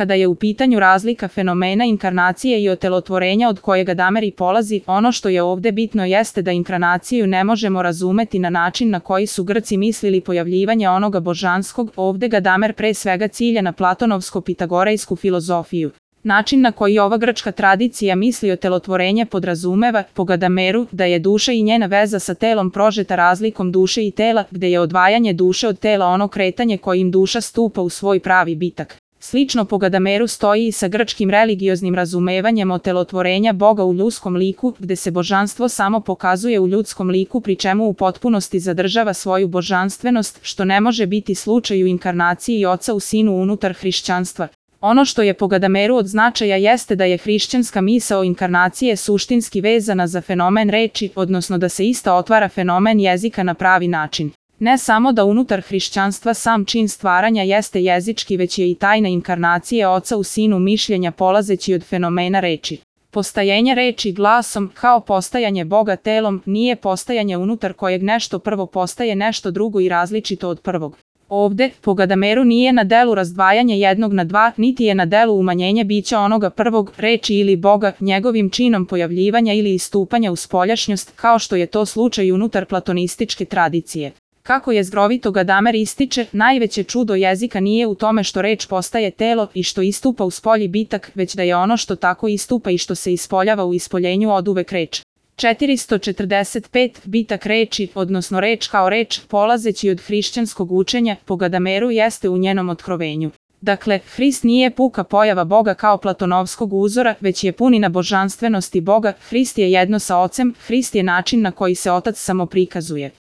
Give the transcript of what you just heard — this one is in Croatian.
Kada je u pitanju razlika fenomena inkarnacije i otelotvorenja od kojeg Gadamer i polazi, ono što je ovde bitno jeste da inkarnaciju ne možemo razumeti na način na koji su Grci mislili pojavljivanje onoga božanskog. Ovde Gadamer pre svega cilja na platonovsko-pitagorejsku filozofiju. Način na koji ova grčka tradicija misli otelotvorenje podrazumeva, po Gadameru, da je duša i njena veza sa telom prožeta razlikom duše i tela, gde je odvajanje duše od tela ono kretanje kojim duša stupa u svoj pravi bitak. Slično po Gadameru stoji i sa grčkim religioznim razumevanjem otelotvorenja Boga u ljudskom liku, gde se božanstvo samo pokazuje u ljudskom liku pri čemu u potpunosti zadržava svoju božanstvenost, što ne može biti slučaj u inkarnaciji Oca u Sinu unutar hrišćanstva. Ono što je po Gadameru od značaja jeste da je hrišćanska misao inkarnacije suštinski vezana za fenomen reči, odnosno da se ista otvara fenomen jezika na pravi način. Ne samo da unutar hrišćanstva sam čin stvaranja jeste jezički, već je i tajna inkarnacije Oca u Sinu mišljenja polazeći od fenomena reči. Postajenje reči glasom, kao postajanje Boga telom, nije postajanje unutar kojeg nešto prvo postaje nešto drugo i različito od prvog. Ovde, po Gadameru, nije na delu razdvajanje jednog na dva, niti je na delu umanjenje bića onoga prvog, reči ili Boga, njegovim činom pojavljivanja ili istupanja u spoljašnjost, kao što je to slučaj unutar platonističke tradicije. Kako je zgrovito Gadamer ističe, najveće čudo jezika nije u tome što reč postaje telo i što istupa u spolji bitak, već da je ono što tako istupa i što se ispoljava u ispoljenju oduvek reč. 445. Bitak reči, odnosno reč kao reč, polazeći od hrišćanskog učenja, po Gadameru jeste u njenom otkrovenju. Dakle, Hrist nije puka pojava Boga kao platonovskog uzora, već je punina božanstvenosti Boga. Hrist je jedno sa Ocem, Hrist je način na koji se Otac samo prikazuje.